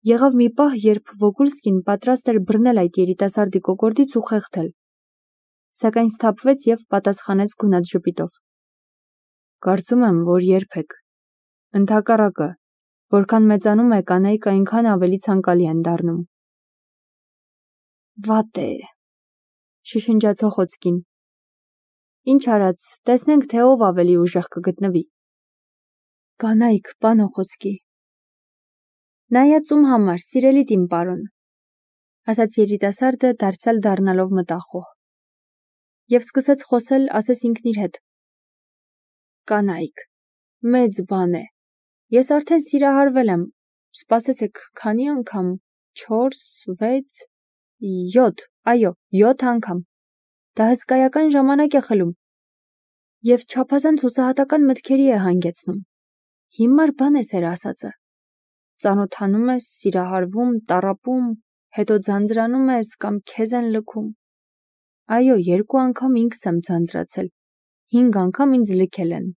Եղավ մի պահ, երբ Վոգուլսկին պատրաստ էր բռնել այդ երիտասարդի կոկորդից ու խեղդել, սակայն սթափվեց և պատասխանեց գունատ ժպիտով. «Կարծում եմ, որ երբեք։ Ընդհակառակը, որքան մեծանում է, կանայք այնքան ավելի ցանկալի են դառնում»։ «Վատ է», շշնջաց Օխոցկին։ «Ինչ արած, տեսնենք, թե ով ավելի ուժեղ կգտնվի»։ «Կանայք, պան Օխոցկի»։ «Նայած ում համար, սիրելիդ իմ պարոն», ասաց երիտասարդը դարձյալ դառնալով մտախոհ։ Եվ սկսեց խոսել, ասես ինքն իր հետ. «Կանայք, մեծ բան է։ Ես արդեն սիրահարվել եմ, սպասեցեք, քանի անգամ, 4, 6, 7, այո, 7 անգամ։ Դա հսկայական ժամանակ է խլում։ Եվ չափազանց հուսահատական մտքերի է հանգեցնում։ Հիմար բան է սեր ասածը։ Ծանոթանում ես, սիրահարվում, տառապում, հետո ձանձրանում ես կամ քեզ են լքում։ Այո, 2 անգամ ինքս եմ ձանձրացել, 5 անգամ ինձ լքել են։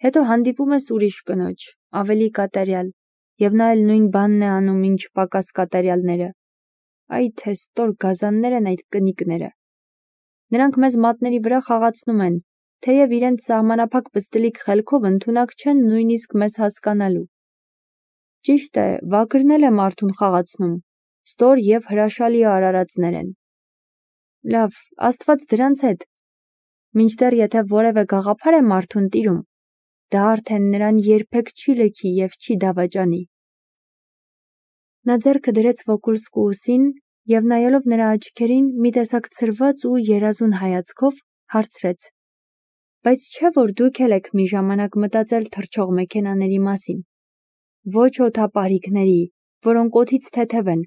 Հետո հանդիպում ես ուրիշ կնոջ, ավելի կատարյալ, և նա էլ նույն բանն է անում, ինչ պակաս կատարյալները։ Այ թե ստոր գազաններ են այդ կնիկները։ Նրանք մեզ մատների վրա խաղացնում են, թեև իրենց սահմանափակ պստլիկ խելքով ընդունակ չեն նույնիսկ մեզ հասկանալու։ Ճիշտ է, վագրն էլ է մարդուն խաղացնում, ստոր և հրաշալի արարածներ են։ Լավ, Աստված դրանց հետ։ Մինչդեռ եթե որևէ գաղափար է մարդուն տիրում, դա արդեն նրան երբեք չի լքի և չի դավաճանի։ Նա ձեռքը դրեց Վոգուլսկու ուսին և նայելով նրա աչքերին մի տեսակ ցրված ու երազուն հայացքով հարցրեց. Բայց չէ՞ որ դուք էլ եք մի ժամանակ մտածել թռչող մեքենաների մասին։ Ոչ օդապարիկների, որոնք օդից թեթև են,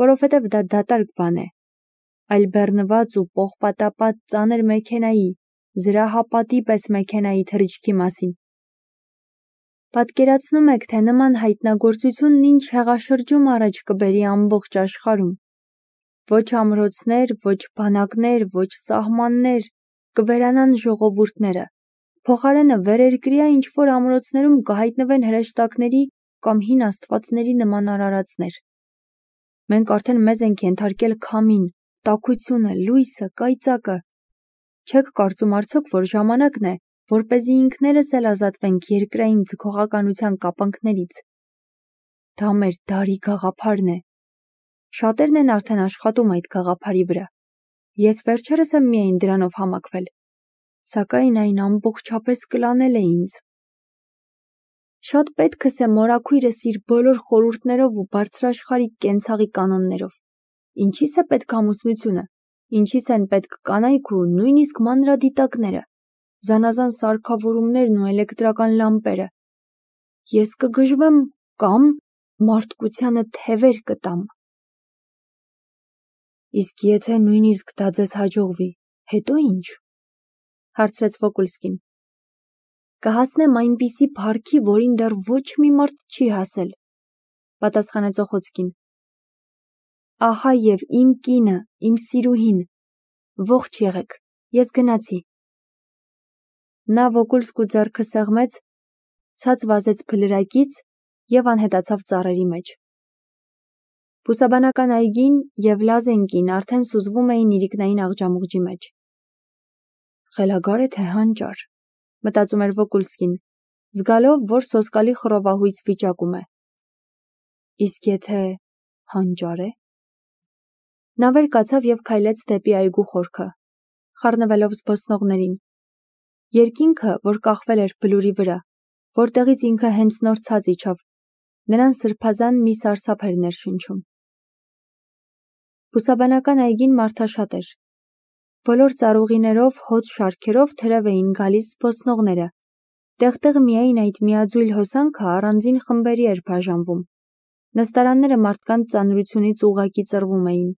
որովհետև դա դատարկ բան է, այլ բեռնված ու պողպատապատ ծանր մեքենայի, զրահապատի պես մեքենայի թռիչքի մասին։ Պատկերացնում եք, թե նման հայտնագործությունն ինչ հեղաշրջում առաջ կբերի ամբողջ աշխարհում։ Ոչ ամրոցներ, ոչ բանակներ, ոչ սահմաններ, կվերանան ժողովուրդները։ Փոխարենը վերերկրյա ինչ-որ ամրոցներում կհայտնվեն հրեշտակների կամ հին աստվածների նման արարածներ։ Մենք արդեն մեզ ենք ենթարկել քամին, տաքությունը, լույսը, կայծակը։ Չեք կարծում արդյոք, որ ժամանակն է, որպեսզի ինքներս էլ ազատվենք երկրային ձգողականության կապանքներից։ Դա մեր դարի գաղափարն է։ Շատերն են արդեն աշխատում այդ գաղափարի վրա։ Ես վերջերս եմ միայն դրանով համակվել, սակայն այն ամբողջապես կլանել է ինձ։ Շատ պետքս է մորաքույրս իր բոլոր խորհուրդներով ու բարձրաշխարհիկ կենցաղի կանոններով։ Ինչի՞ս է պետք ամուսնությունը, ինչի՞ս են պետք կանայք ու նույնիսկ մանրադիտակները, զանազան սարքավորումներն ու էլեկտրական լամպերը։ Ես կգժվեմ կամ մարդկությանը թևեր կտամ։ Իսկ եթե նույնիսկ դա ձեզ հաջողվի, հետո ինչ, հարցրեց Վոգուլսկին։ Կհասնեմ այնպիսի փառքի, որին դեռ ոչ մի մարդ չի հասել, պատասխանեց Օխոցկին։ Ահա և իմ կինը, իմ սիրուհին, ողջ եղեք, ես գնացի։ Նա Վոգուլսկու ձեռքը սեղմեց, ցած վազեց փլրակից և անհետացավ ծառերի մեջ։ Բուսաբանական այգին և Լազենկին արդեն սուզվում էին իրիկնային աղջամուղջի մեջ։ Խելագար է թե հանճար, մտածում էր Վոգուլսկին, զգալով, որ սոսկալի խռովահույս վիճակում է։ Իսկ եթե հանճար է։ Նա վեր կացավ և քայլեց դեպի այգու խորքը, խառնվելով զբոսնողներին։ Երկինքը, որ կախվել էր բլուրի վրա, որտեղից ինքը հենց նոր ցած իջավ, նրան սրբազան մի սարսափ էր ներշնչում։ Բուսաբանական այգին մարդաշատ էր։ Բոլոր ծառուղիներով, հոծ շարքերով թրև էին գալիս զբոսնողները։ Տեղ-տեղ միայն այդ միաձույլ հոսանքը առանձին խմբերի էր բաժանվում։ Նստարանները մարդկանց ծանրությունից ուղղակի ծռվում էին։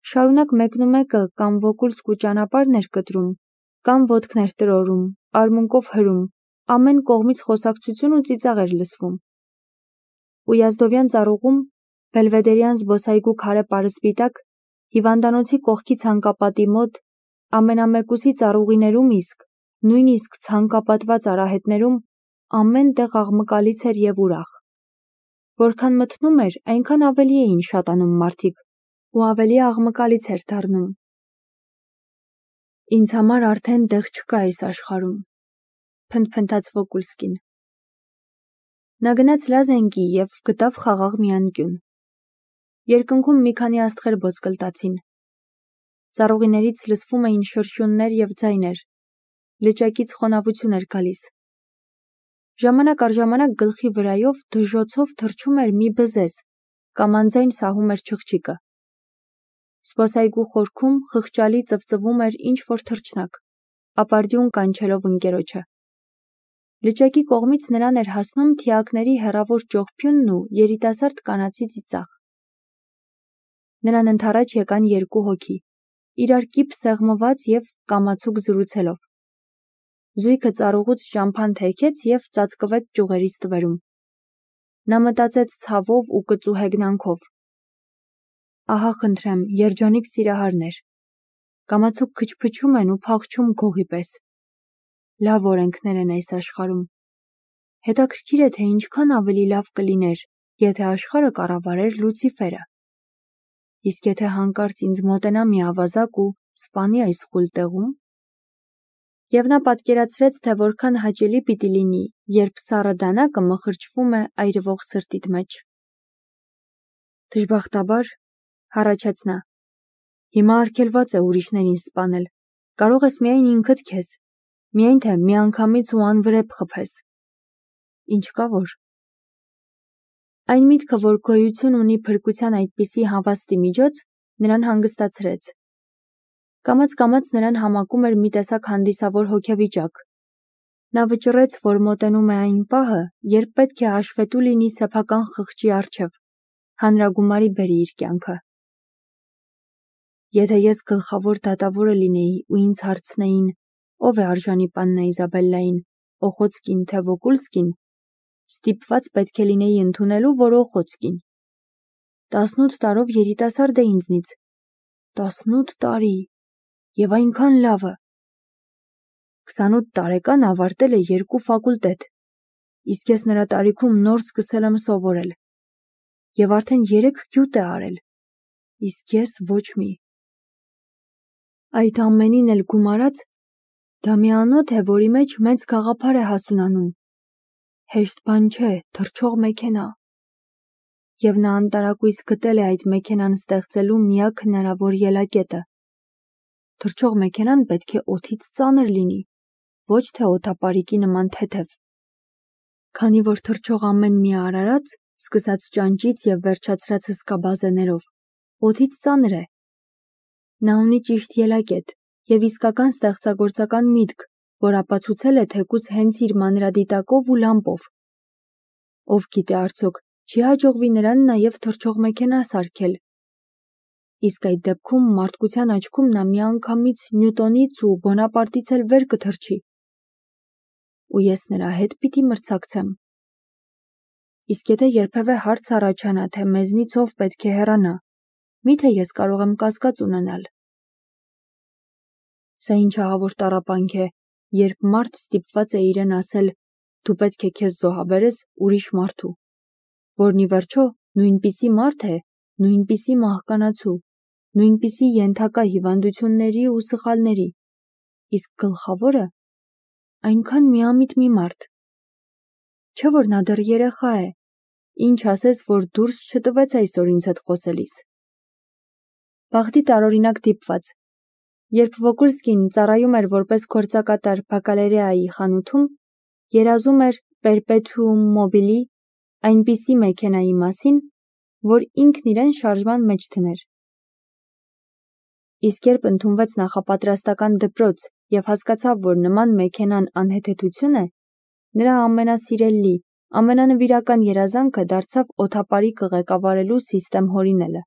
Շարունակ մեկնումեկը կամ Վոգուլսկու ճանապարհն էր կտրում, կամ ոտքներ տրորում, արմունկով հրում, ամեն կողմից խոսակցություն ու ծիծաղ էր լսվում։ Ույազդովյան ծառուղում, Բելվեդերյան զբոսայգու քարե պարսպիտակ, հիվանդանոցի կողքի ցանկապատի մոտ, ամենամեկուսի ծառուղիներում իսկ, նույնիսկ ցանկապատված արահետներում ամեն տեղ աղմկալից էր և ուրախ։ Որքան մթնում էր, այնքան ավելի էին շատանում մարդիկ ու ավելի աղմկալից էր դառնում։ Ինձ համար արդեն տեղ չկա այս աշխարհում, փնթփնթաց Վոկուլսկին։ Նա գնաց Լազենկի և գտավ խաղաղ մի անկյուն։ Երկնքում մի քանի աստղեր ոսկլտացին։ Ծառուղիներից լսվում էին շրշյուններ և ձայներ, լճակից խոնավություն էր գալիս։ Ժամանակ առ ժամանակ գլխի վրայով դժոցով թռչում էր մի բզեզ կամ անձայն սահում էր չղջիկը։ Զբոսայգու խորքում խղճալի ծվծվում էր ինչ-որ թռչնակ, ապարդյուն կանչելով ընկերոջը։ Լճակի կողմից նրան էր հասնում թիակների հեռավոր ճողփյունն ու երիտասարդ կանացի ծիծաղ։ Նրան ընդառաջ եկան երկու հոգի, իրար կիպ սեղմված և կամացուկ զրուցելով։ Զույգը ծառուղուց ճամփան թեքեց և ծածկվեց ճյուղերի ստվերում։ Նա մտածեց ցավով ու կծու հեգնանքով. ահա խնդրեմ, երջանիկ սիրահարներ, կամացուկ քչփչում են ու փախչում գողի պես։ Լավ օրենքներ են այս աշխարհում։ Հետաքրքիր է, թե ինչքան ավելի լավ կլիներ, եթե աշխարհը կառավարեր Լուցիֆերը։ Իսկ եթե հանկարծ ինձ մոտենա մի ավազակ ու սպանի այս խուլ տեղում։ Եվ նա պատկերացրեց, թե որքան հաճելի պիտի լինի, երբ սառը դանակը մխրճվում է այրվող սրտիդ մեջ։ Դժբախտաբար, հառաչեց նա, հիմա արգելված է ուրիշներին սպանել, կարող ես միայն ինքդ քեզ, միայն թե միանգամից ու անվրեպ խփես։ Ինչ կա որ։ Այն միտքը, որ գոյություն ունի փրկության այդպիսի հավաստի միջոց, նրան հանգստացրեց։ Կամաց-կամաց նրան համակում էր մի տեսակ հանդիսավոր հոգեվիճակ։ Նա վճռեց, որ մոտենում է այն պահը, երբ պետք է հաշվետու լինի սեփական խղճի առջև, հանրագումարի բերի իր կյանքը։ Եթե ես գլխավոր դատավորը լինեի ու ինձ հարցնեին, ով է արժանի պաննա Իզաբելլային, Օխոցկին թե Վոկուլսկին, ստիպված պետք է լինեի ընդունելու, որ Օխոցկին։ 18 տարով երիտասարդ է ինձնից։ 18 տարի, և այնքան լավը։ 28 տարեկան ավարտել է 2 ֆակուլտետ, իսկ ես նրա տարիքում նոր սկսել եմ սովորել։ Եվ արդեն 3 գյուտ է արել, իսկ ես ոչ մի։ Այդ ամենին էլ գումարած, դա մի անոթ է, որի մեջ մեծ գաղափար է հասունանում։ Հեշտ բան չէ, թռչող մեքենա։ Եվ նա անտարակույս գտել է այդ մեքենան ստեղծելու միակ հնարավոր ելակետը։ Թռչող մեքենան պետք է օդից ծանր լինի, ոչ թե օդապարիկի նման թեթև։ Քանի որ թռչող ամեն մի արարած, սկսած ճանճից և վերջացրած հսկա բազեներով, օդից ծանր է։ Նա ունի ճիշտ ելակետ և իսկական ստեղծագործական միտք, որ ապացուցել է թեկուզ հենց իր մանրադիտակով ու լամպով։ Ով գիտե արդյոք, չի հաջողվի նրան նաև թռչող մեքենա սարքել։ Իսկ այդ դեպքում մարդկության աչքում նա միանգամից Նյուտոնից ու Բոնապարտից էլ վեր կթռչի։ Ու ես նրա հետ պիտի մրցակցեմ։ Իսկ եթե երբևէ հարց առաջանա, թե մեզնից ով պետք է հեռանա, միթե ես կարող եմ կասկած ունենալ։ Սա ինչ ահավոր տառապանք է, երբ մարդ ստիպված է իրեն ասել, դու պետք է քեզ զոհաբերես ուրիշ մարդու, որն ի վերջո նույնպիսի մարդ է, նույնպիսի մահկանացու, նույնպիսի ենթակա հիվանդությունների ու սխալների, իսկ գլխավորը այնքան միամիտ մի մարդ։ Չէ որ նա դեռ երեխա է, ինչ ասես, որ դուրս չտվեց այսօր ինձ հետ խոսելիս։ Բախտի տարօրինակ դիպված։ Երբ Վոկուլսկին ծառայում էր որպես գործակատար բակալերեայի խանութում, երազում էր պերպետուում մոբիլի այնպիսի մեքենայի մասին, որ ինքն իրեն շարժման մեջ դներ։ Իսկ երբ ընդունվեց նախապատրաստական դպրոց և հասկացավ, որ նման մեքենան անհեթեթություն է, նրա ամենասիրելի, ամենանվիրական երազանքը դարձավ օդապարիկը ղեկավարելու սիստեմ հորինելը։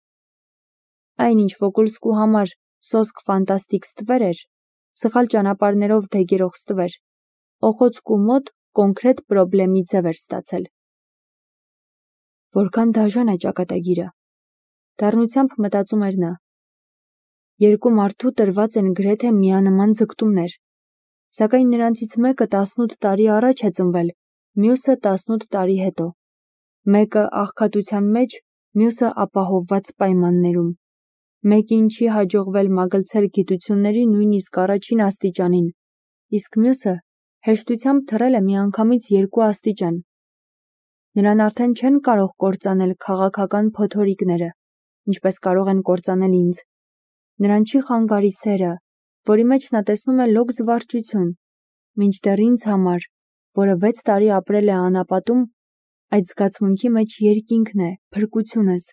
Այն, ինչ Վոկուլսկու համար սոսկ ֆանտաստիկ ստվեր էր, սխալ ճանապարհներով դեգերող ստվեր, Օխոցկու մոտ կոնկրետ պրոբլեմի ձև էր ստացել։ Որքան դաժան է ճակատագիրը, դառնությամբ մտածում էր նա։ Երկու մարդու տրված են գրեթե միանման ձգտումներ, սակայն նրանցից մեկը 18 տարի առաջ է ծնվել, մյուսը 18 տարի հետո։ Մեկը աղքատության մեջ, մյուսը ապահովված պայմաններում։ Մեկին չի հաջողվել մագլցել գիտությունների նույնիսկ առաջին աստիճանին, իսկ մյուսը հեշտությամբ թռել է միանգամից 2 աստիճան։ Նրան արդեն չեն կարող կործանել քաղաքական փոթորիկները, ինչպես կարող են կործանել ինձ։ Նրան չի խանգարի սերը, որի մեջ նա տեսնում է լոկ զվարճություն, մինչդեռ ինձ համար, որը 6 տարի ապրել է անապատում, այդ զգացմունքի մեջ երկինքն է, փրկությունս։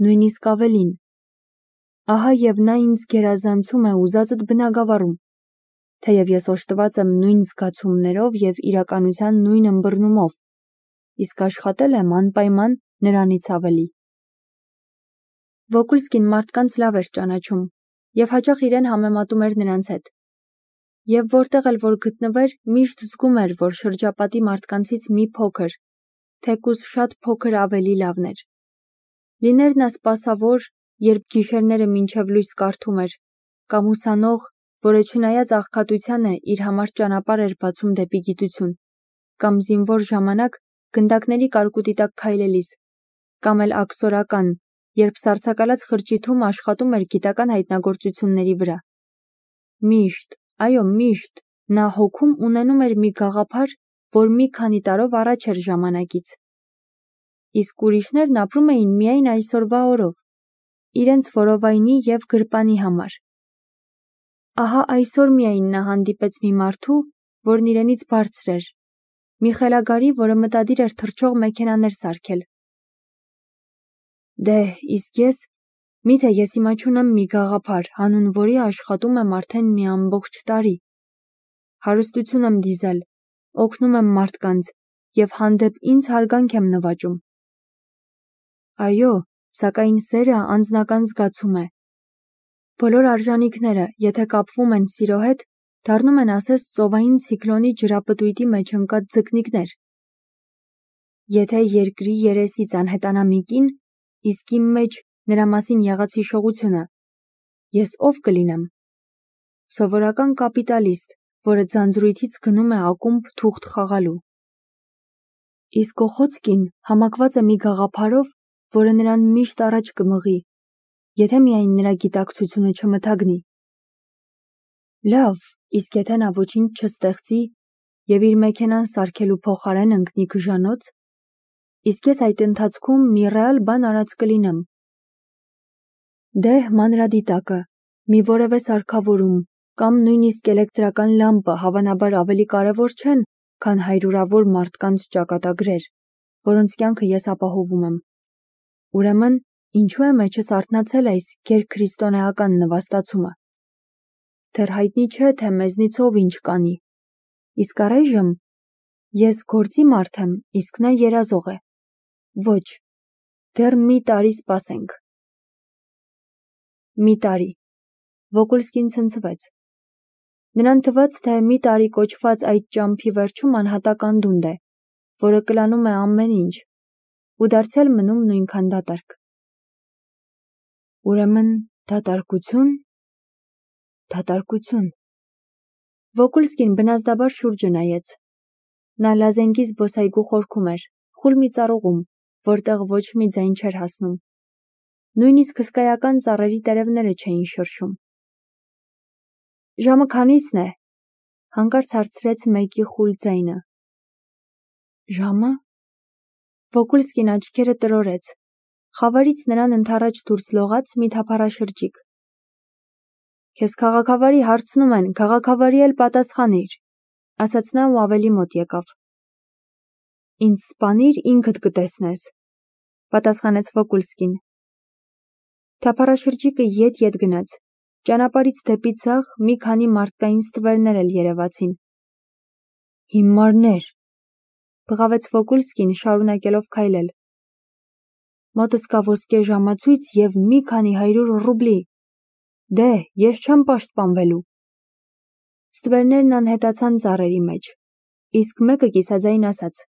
Նույնիսկ ավելին։ Ահա և նա ինձ գերազանցում է ուզածդ բնագավառում, թեև ես օժտված եմ նույն զգացումներով և իրականության նույն ըմբռնումով, իսկ աշխատել եմ անպայման նրանից ավելի։ Վոկուլսկին մարդկանց լավ էր ճանաչում և հաճախ իրեն համեմատում էր նրանց հետ։ Եվ որտեղ էլ որ գտնվեր, միշտ զգում էր, որ շրջապատի մարդկանցից մի փոքր, թեկուզ շատ փոքր ավելի լավն էր։ Լիներ նա սպասավոր, երբ գիշերները մինչև լույս կարդում էր, կամ ուսանող, որը չնայած աղքատությանը իր համար ճանապարհ էր բացում դեպի գիտություն, կամ զինվոր ժամանակ գնդակների կարկուտի տակ քայլելիս, կամ էլ աքսորական, երբ սառցակալած խրճիթում աշխատում էր գիտական հայտնագործությունների վրա։ Միշտ, այո, միշտ նա հոգում ունենում էր մի գաղափար, որ մի քանի տարով առաջ էր ժամանակից։ Իսկ ուրիշներն ապրում էին միայն այսօրվա օրով, իրենց որովայնի և գրպանի համար։ Ահա այսօր միայն նա հանդիպեց մի մարդու, որն իրենից բարձր էր, մի խելագարի, որը մտադիր էր թռչող մեքենաներ սարքել։ Դե, իսկ ես, միթե ես հիմա չունեմ մի գաղափար, հանուն որի աշխատում եմ արդեն մի ամբողջ տարի։ Հարստություն եմ դիզել, օգնում եմ մարդկանց և հանդեպ ինձ հարգանք եմ նվաճում։ Այո, սակայն սերը անձնական զգացում է։ Բոլոր արժանիքները, եթե կապվում են սիրո հետ, դառնում են ասես ծովային ցիկլոնի ջրապտույտի մեջ ընկած ձկնիկներ։ Եթե երկրի երեսից անհետանա մի կին, իսկ իմ մեջ նրա մասին եղած հիշողությունը, ես ով կլինեմ։ Սովորական կապիտալիստ, որը ձանձրույթից գնում է ակումբ թուղթ խաղալու։ Իսկ Օխոցկին համակված է մի գաղափարով, որը նրան միշտ առաջ կմղի, եթե միայն նրա գիտակցությունը չմթագնի։ Լավ, իսկ եթե նա ոչինչ չստեղծի և իր մեքենան սարքելու փոխարեն ընկնի գժանոց, իսկ ես այդ ընթացքում մի ռեալ բան արած կլինեմ։ Դե, մանրադիտակը, մի որևէ սարքավորում, կամ նույնիսկ էլեկտրական լամպը հավանաբար ավելի կարևոր չեն, քան հարյուրավոր մարդկանց ճակատագրեր, որոնց կյանքը ես ապահովում եմ։ Ուրեմն, ինչու է մեջս արթնացել այս գերքրիստոնեական նվաստացումը։ Դեռ հայտնի չէ, թե մեզնից ով ինչ կանի։ Իսկ առայժմ ես գործի մարդ եմ, իսկ նա երազող է։ Ոչ, դեռ մի տարի սպասենք։ Մի տարի։ Վոկուլսկին ցնցվեց։ Նրան թվաց, թե մի տարի կոչված այդ ճամփի վերջում անհատական դունդ է, որը կլանում է ամեն ինչ, ու դարձյալ մնում նույնքան դատարկ։ Ուրեմն դատարկություն։ Դատարկություն։ Վոկուլսկին բնազդաբար շուրջը նայեց։ Նա Լազենգի զբոսայգու խորքում էր, խուլ մի ծառուղում, որտեղ ոչ մի ձայն չէր հասնում։ Նույնիսկ հսկայական ծառերի տերևները չէին շրշում։ Ժամը քանի՞սն է, հանկարծ հարցրեց մեկի խուլ ձայնը։ Ժամը։ Վոկուլսկին աչքերը տրորեց։ Խավարից նրան ընդառաջ դուրս լողաց մի թափառաշրջիկ։ Քեզ քաղաքավարի հարցնում են, քաղաքավարի էլ պատասխանիր, ասաց նա ու ավելի մոտ եկավ։ Ինձ սպանիր, ինքդ կտեսնես, պատասխանեց Վոկուլսկին։ Թափառաշրջիկը ետ գնաց։ Ճանապարհից դեպի ձախ մի քանի մարդկային ստվերներ էլ երևացին։ Հիմարներ, բղավեց Վոկուլսկին, շարունակելով քայլել։ Մոտս կա ոսկե ժամացույց և մի քանի 100 ռուբլի։ Դե, ես չեմ պաշտպանվելու։ Ստվերներն անհետացան ծառերի մեջ, իսկ մեկը կիսաձայն ասաց.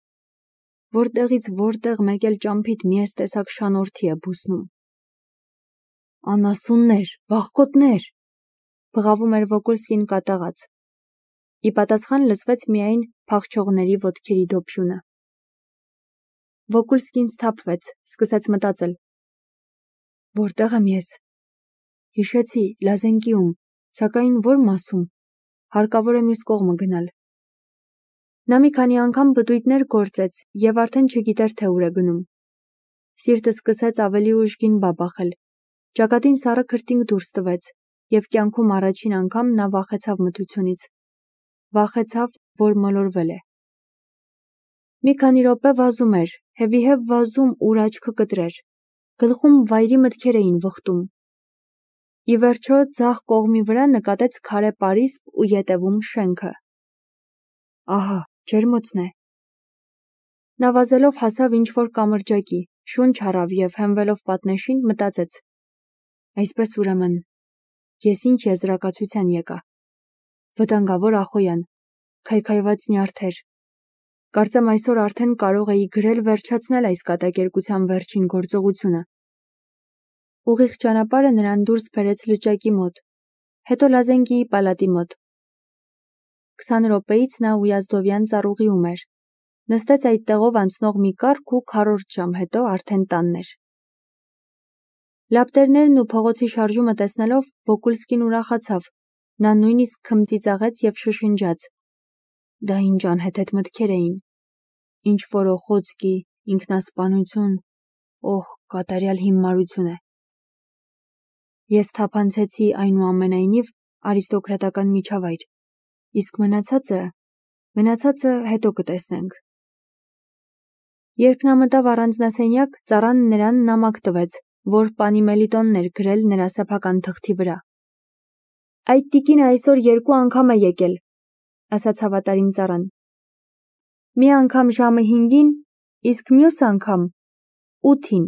Որտեղից որտեղ մեկ էլ ճամփիդ մի էս տեսակ շանորդի է բուսնում։ Անասուններ, վախկոտներ, բղավում էր Վոկուլսկին կատաղած։ Ի պատասխան լսվեց միայն փախչողների ոտքերի դոփյունը։ Վոկուլսկին սթափվեց, սկսեց մտածել. Որտեղ եմ ես։ Հիշեցի Լազենկիում, սակայն որ մասում։ Հարկավոր է մյուս կողմը գնալ։ Նա մի քանի անգամ բտույտներ գործեց եւ արդեն չգիտեր թե ուր է գնում։ Սիրտը սկսեց ավելի ուժ գին բաբախել։ Ճակատին սառը քրտինք դուրս տվեց եւ կյանքում առաջին անգամ նա վախեցավ մթությունից։ Վախեցավ, որ մոլորվել է։ Մի քանի րոպե վազում էր, հեվիհև վազում, ուր աչքը կտրեր։ Գլխում վայրի մտքեր էին վխտում։ Ի վերջո ձախ կողմի վրա նկատեց քարե պարիսպ ու ետևում շենքը։ Ահա, ջերմոցն է։ Նա վազելով հասավ ինչ-որ կամրջակի, շունչ առավ եւ հենվելով պատնեշին մտածեց. Այսպես ուրեմն, ես ինչ եզրակացության եկա։ Վտանգավոր Ախոյան, քայքայված նյարդեր։ Կարծեմ այսօր արդեն կարող էի գրել վերջացնել այս կատակերգության վերջին գործողությունը։ Ուղիղ ճանապարհը նրան դուրս բերեց լճակի մոտ, հետո Լազենկիի պալատի մոտ։ 20 րոպեից նա Ույազդովյան ծառուղիում էր։ Նստեց այդ տեղով անցնող մի կառք ու քառորդ ժամ հետո արդեն տանն էր։ Լապտերներն ու փողոցի շարժումը տեսնելով Վոկուլսկին ուրախացավ։ Նա նույնիսկ քմծիծաղեց եւ շշնջաց. Դա ինչ անհեթեթ մտքեր էին։ Ինչ որ օխոցկի, ինքնասպանություն, օհ, կատարյալ հիմարություն է։ Ես թափանցեցի այնուամենայնիվ արիստոկրատական միջավայր, իսկ մնացածը հետո կտեսնենք։ Երբ նա մտավ առանձնասենյակ, ծառան նրան նամակ տվեց, որ պանի Մելիտոնն էր գրել նրա սեփական թղթի վրա։ Այդ տիկինը այսօր 2 անգամ է եկել, ասաց հավատարիմ ծառան։ Մի անգամ ժամը 5-ին, իսկ մյուս անգամ 8-ին։